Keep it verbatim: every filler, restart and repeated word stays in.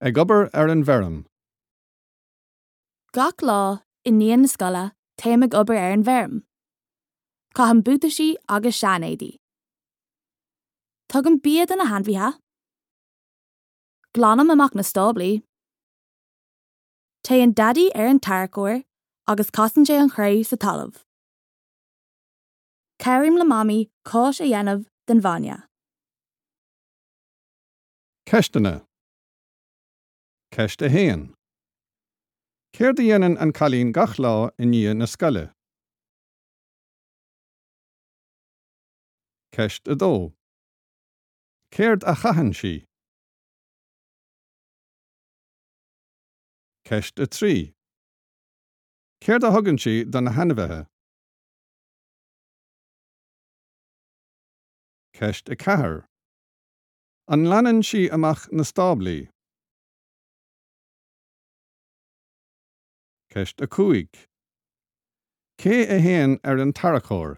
Ag obair ar an bhfeirm. Gach lá i ndiaidh na scoile téim ag obair ar an bhfeirm. Caithim buataisí agus seanéadaí. Tugaim bia do na hainmhithe. Glanaim amach na stáblaí. Téann Daidí ar an tarracóir agus casann sé an chré sa talamh. Cabhraím le Mamaí cáis a dhéanamh den bhainne. Ceisteanna. Ceist a haon. Céard a dhéanann an cailín gach lá i ndiaidh na scoile? Ceist a dó. Céard a chaitheann sí? Ceist a trí. Céard a thugann sí do na hainmhithe? Ceist a ceathair. An nglanann sí amach na stáblaí? Ceist a cúig. Cé a théann ar an tarracóir?